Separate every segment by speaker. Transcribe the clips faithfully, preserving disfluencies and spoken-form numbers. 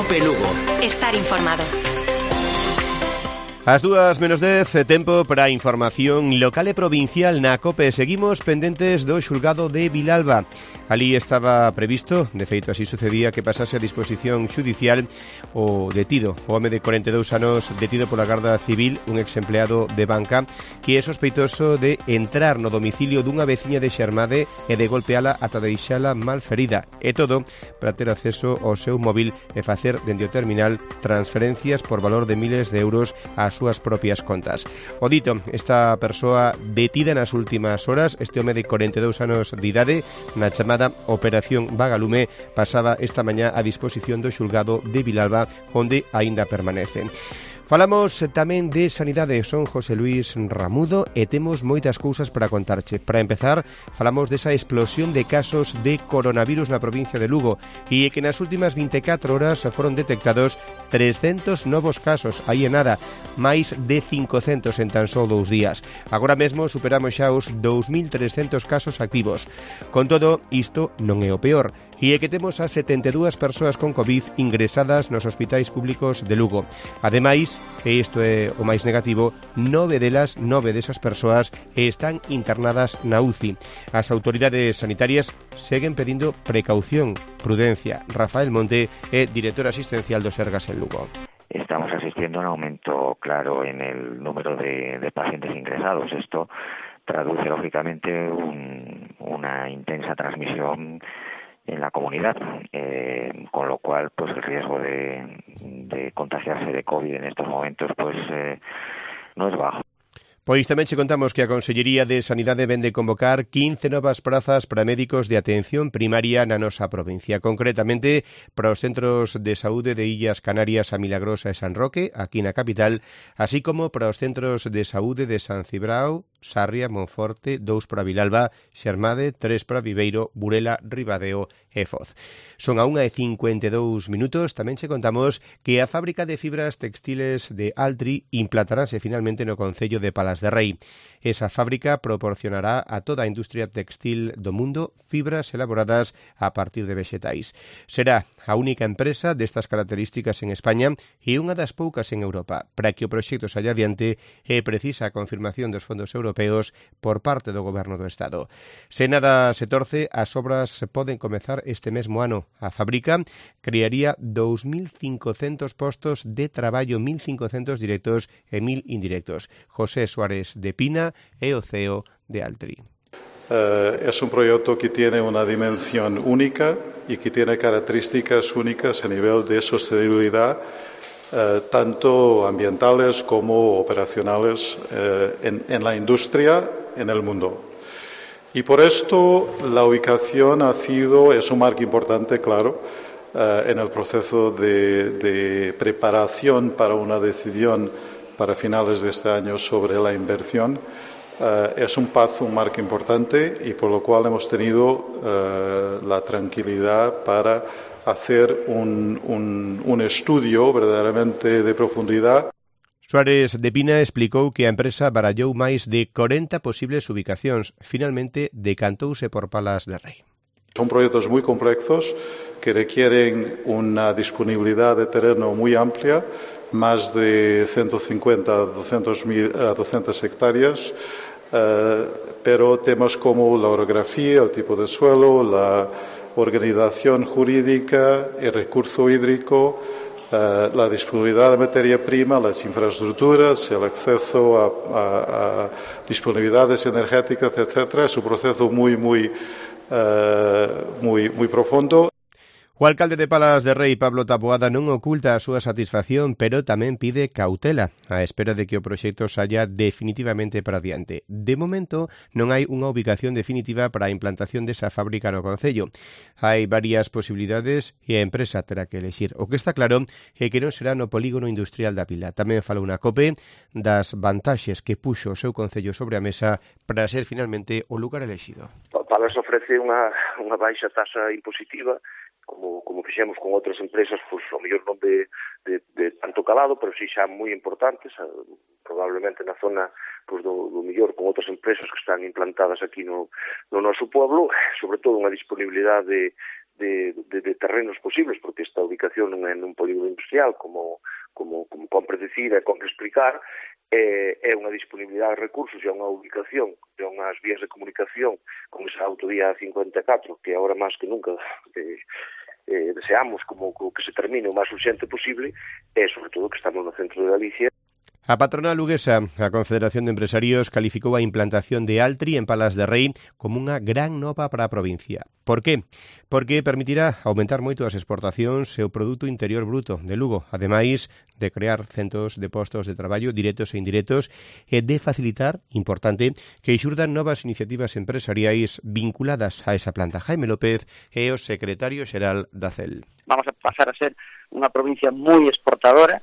Speaker 1: Cope Lugo.
Speaker 2: Estar informado.
Speaker 3: As dúas menos dez, tempo para a información local e provincial na COPE. Seguimos pendentes do xulgado de Vilalba. Alí estaba previsto, de feito así sucedía, que pasase a disposición xudicial o detido, o home de corenta e dous anos detido pola Garda Civil, un exempleado de banca, que é sospeitoso de entrar no domicilio dunha veciña de Xermade e de golpeala ata deixala mal ferida. E todo para ter acceso ao seu móvil e facer dende o terminal transferencias por valor de miles de euros ás súas propias contas. O dito, esta persoa detida nas últimas horas, este home de corenta e dous anos de idade, na chamada Operación Vagalume, pasaba esta mañá a disposición do xulgado de Vilalba, onde aínda permanece. Falamos tamén de sanidade, son José Luis Ramudo e temos moitas cousas para contarche. Para empezar, falamos desa explosión de casos de coronavirus na provincia de Lugo e que nas últimas vinte e catro horas foron detectados trescentos novos casos, aí en nada, máis de cincocentos en tan só dous días. Agora mesmo superamos xa os dous mil trescentos casos activos. Con todo, isto non é o peor, e é que temos a setenta e dúas persoas con COVID ingresadas nos hospitais públicos de Lugo. Ademais, e isto é o máis negativo, nove delas, nove desas persoas están internadas na U C I. As autoridades sanitarias seguen pedindo precaución, prudencia. Rafael Monte é director asistencial do Sergas en Lugo.
Speaker 4: Estamos asistiendo a un aumento claro en el número de, de pacientes ingresados. Esto traduce lógicamente un, una intensa transmisión en la comunidad, eh, con lo cual pues el riesgo de, de contagiarse de COVID en estos momentos pues eh, no es bajo.
Speaker 3: Pois tamén che contamos que a Consellería de Sanidade vende convocar quince novas prazas para médicos de atención primaria na nosa provincia, concretamente para os centros de saúde de Illas Canarias, a Milagrosa e San Roque, aquí na capital, así como para os centros de saúde de San Cibrao, Sarria, Monforte, dous para Vilalba, Xermade, tres para Viveiro, Burela, Ribadeo e Foz. Son a unha e cincuenta e dous minutos. Tamén che contamos que a fábrica de fibras textiles de Altri implantarase finalmente no concello de Palas de Rei. Esa fábrica proporcionará a toda a industria textil do mundo fibras elaboradas a partir de vexetais. Será a única empresa destas características en España e unha das poucas en Europa. Para que o proxecto saia adiante é precisa a confirmación dos fondos europeos por parte do Goberno do Estado. Se nada se torce, as obras poden comezar este mesmo ano. A fábrica crearía dous mil cincocentos postos de traballo, mil cincocentos directos e mil indirectos. José Suárez de Pina é o C E O de Altri.
Speaker 5: Uh, es un proyecto que tiene una dimensión única y que tiene características únicas a nivel de sostenibilidad, uh, tanto ambientales como operacionales uh, en, en la industria en el mundo. Y por esto la ubicación ha sido, es un marco importante, claro, uh, en el proceso de, de preparación para una decisión para finales de este año sobre la inversión. Uh, es un paso, un marco importante y por lo cual hemos tenido uh, la tranquilidad para hacer un, un, un estudio verdaderamente de profundidad.
Speaker 3: Suárez de Pina explicou que a empresa barallou máis de corenta posibles ubicacións. Finalmente, decantouse por Palas de Rei.
Speaker 5: Son proyectos muy complejos que requieren una disponibilidad de terreno muy amplia, más de ciento cincuenta a doscientas hectáreas, eh, pero temas como la orografía, el tipo de suelo, la organización jurídica, el recurso hídrico, eh, la disponibilidad de materia prima, las infraestructuras, el acceso a, a, a disponibilidades energéticas, etcétera. Es un proceso muy, muy, eh, muy, muy profundo.
Speaker 3: O alcalde de Palas de Rei, Pablo Taboada, non oculta a súa satisfacción, pero tamén pide cautela, á espera de que o proxecto saia definitivamente para diante. De momento, non hai unha ubicación definitiva para a implantación desa fábrica no concello. Hai varias posibilidades e a empresa terá que elexir. O que está claro é que non será no polígono industrial da Pila. Tamén falou na COPE das vantaxes que puxo o seu concello sobre a mesa para ser finalmente o lugar elexido.
Speaker 6: Palas ofrece unha, unha baixa taxa impositiva, como, como fixemos con outras empresas, pois, ao mellor non de, de, de tanto calado, pero si xa moi importantes, probablemente na zona pois, do, do mellor con outras empresas que están implantadas aquí no, no noso pueblo, sobre todo unha disponibilidade de, de, de terrenos posibles, porque esta ubicación non é nun polígono industrial, como, como, como compre decir e compre explicar, é, é unha disponibilidade de recursos e unha ubicación e unhas vías de comunicación con esa autovía cincuenta e catro, que agora máis que nunca eh, eh, deseamos como, como que se termine o máis urgente posible, e sobre todo que estamos no centro de Galicia.
Speaker 3: A patronal luguesa, a Confederación de Empresarios, calificou a implantación de Altri en Palas de Rei como unha gran nova para a provincia. Por qué? Porque permitirá aumentar moito as exportacións e o produto interior bruto de Lugo, ademais de crear centos de postos de traballo directos e indirectos e de facilitar, importante, que xurdan novas iniciativas empresariais vinculadas a esa planta. Jaime López é o secretario xeral da C E L.
Speaker 1: Vamos a pasar a ser unha provincia moi exportadora,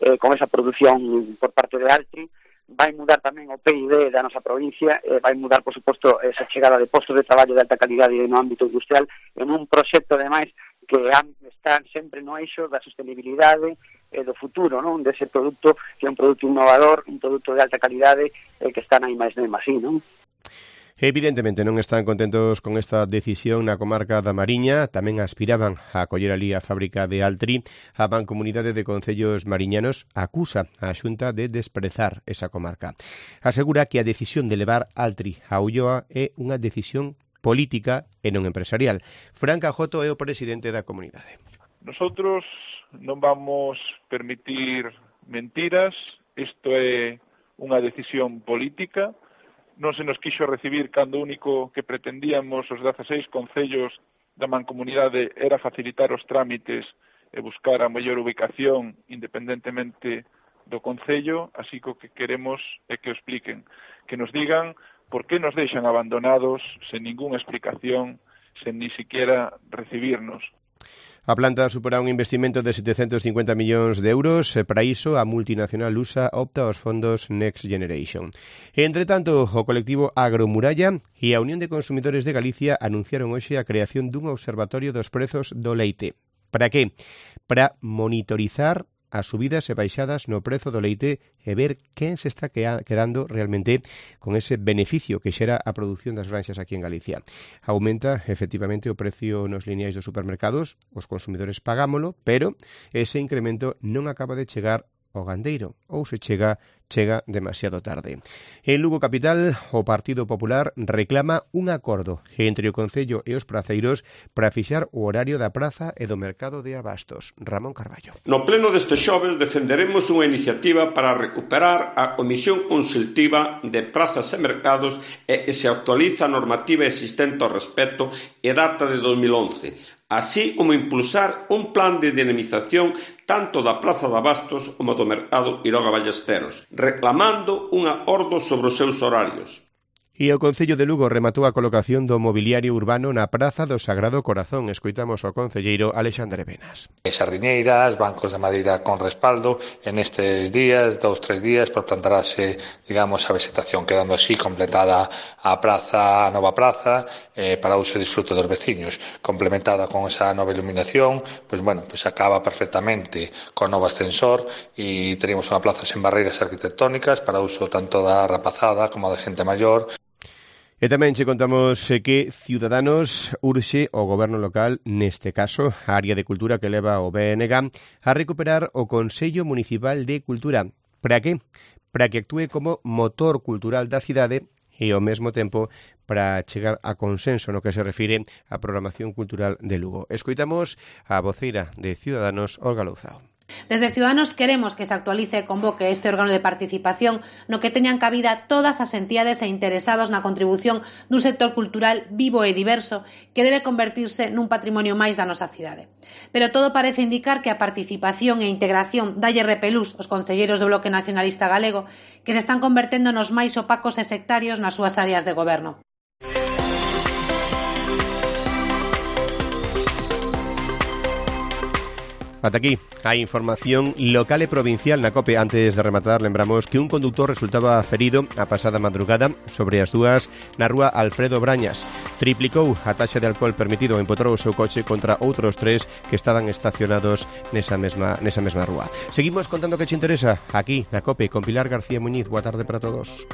Speaker 1: Eh, con esa produción por parte de Altri. Vai mudar tamén o P I B da nosa provincia, eh, vai mudar, por suposto, esa chegada de postos de traballo de alta calidade no ámbito industrial en un proxecto, ademais, que está sempre no eixo da sostenibilidade e do futuro, non? Dese produto, que é un produto innovador, un produto de alta calidade, eh, que está na I máis D máis I, non?
Speaker 3: Evidentemente non están contentos con esta decisión na comarca da Mariña, tamén aspiraban a acoller ali a fábrica de Altri. A Mancomunidade de Concellos Mariñanos acusa a Xunta de desprezar esa comarca. Asegura que a decisión de levar Altri a Ulloa é unha decisión política e non empresarial. Fran Cajoto é o presidente da comunidade.
Speaker 2: Nosotros non vamos permitir mentiras, isto é unha decisión política. Non se nos quixo recibir cando o único que pretendíamos os dezaseis concellos da mancomunidade era facilitar os trámites e buscar a mellor ubicación independentemente do concello, así que o que queremos é que o expliquen, que nos digan por que nos deixan abandonados sen ningunha explicación, sen ni siquiera recibirnos.
Speaker 3: A planta supera un investimento de setecentos cincuenta millóns de euros e para iso a multinacional lusa opta aos fondos Next Generation. Entre tanto, o colectivo Agromuralla e a Unión de Consumidores de Galicia anunciaron hoxe a creación dun observatorio dos prezos do leite. Para que? Para monitorizar as subidas e baixadas no prezo do leite e ver quen se está quedando realmente con ese beneficio que xera a produción das granxas aquí en Galicia. Aumenta efectivamente o precio nos lineais dos supermercados, os consumidores pagámolo, pero ese incremento non acaba de chegar ao gandeiro, ou se chega, chega demasiado tarde. En Lugo Capital, o Partido Popular reclama un acordo entre o Concello e os praceiros para fixar o horario da praza e do mercado de abastos. Ramón Carballo.
Speaker 7: No pleno deste xoves defenderemos unha iniciativa para recuperar a Comisión Consultiva de Prazas e Mercados e se actualiza a normativa existente ao respecto e data de dos mil once, así como impulsar un plan de dinamización tanto da Praza de Abastos como do Mercado Iroga Ballesteros, reclamando unha ordo sobre os seus horarios.
Speaker 3: E o Concello de Lugo rematou a colocación do mobiliario urbano na Praza do Sagrado Corazón. Escoitamos ao concelleiro Alexandre Benas.
Speaker 8: Sardiñeiras, bancos de madeira con respaldo, en estes días, dous, tres días, por plantarase, digamos, a vegetación, quedando así completada a praza, a nova praza, eh, para uso e disfrute dos veciños. Complementada con esa nova iluminación, pois, bueno, pois acaba perfectamente con novo ascensor e teríamos unha plaza sen barreiras arquitectónicas para uso tanto da rapazada como da xente maior.
Speaker 3: E tamén che contamos que Ciudadanos urxe o goberno local, neste caso, a área de cultura que leva o B N G, a recuperar o Consello Municipal de Cultura. Para que? Para que actúe como motor cultural da cidade e, ao mesmo tempo, para chegar a consenso no que se refire á programación cultural de Lugo. Escoitamos a voceira de Ciudadanos, Olga Louzao.
Speaker 9: Desde Ciudadanos queremos que se actualice e convoque este órgano de participación no que teñan cabida todas as entidades e interesados na contribución dun sector cultural vivo e diverso que debe convertirse nun patrimonio máis da nosa cidade. Pero todo parece indicar que a participación e integración dalle repelús aos concelleiros do Bloque Nacionalista Galego que se están convertendo nos máis opacos e sectarios nas súas áreas de goberno.
Speaker 3: Ata aquí a información local e provincial na COPE. Antes de rematar, lembramos que un conductor resultaba ferido a pasada madrugada sobre as dúas na rúa Alfredo Brañas. Triplicou a taxa de alcohol permitido e empotrou o seu coche contra outros tres que estaban estacionados nesa mesma, nesa mesma rúa. Seguimos contando que che interesa aquí na COPE con Pilar García Muñiz. Boa tarde para todos.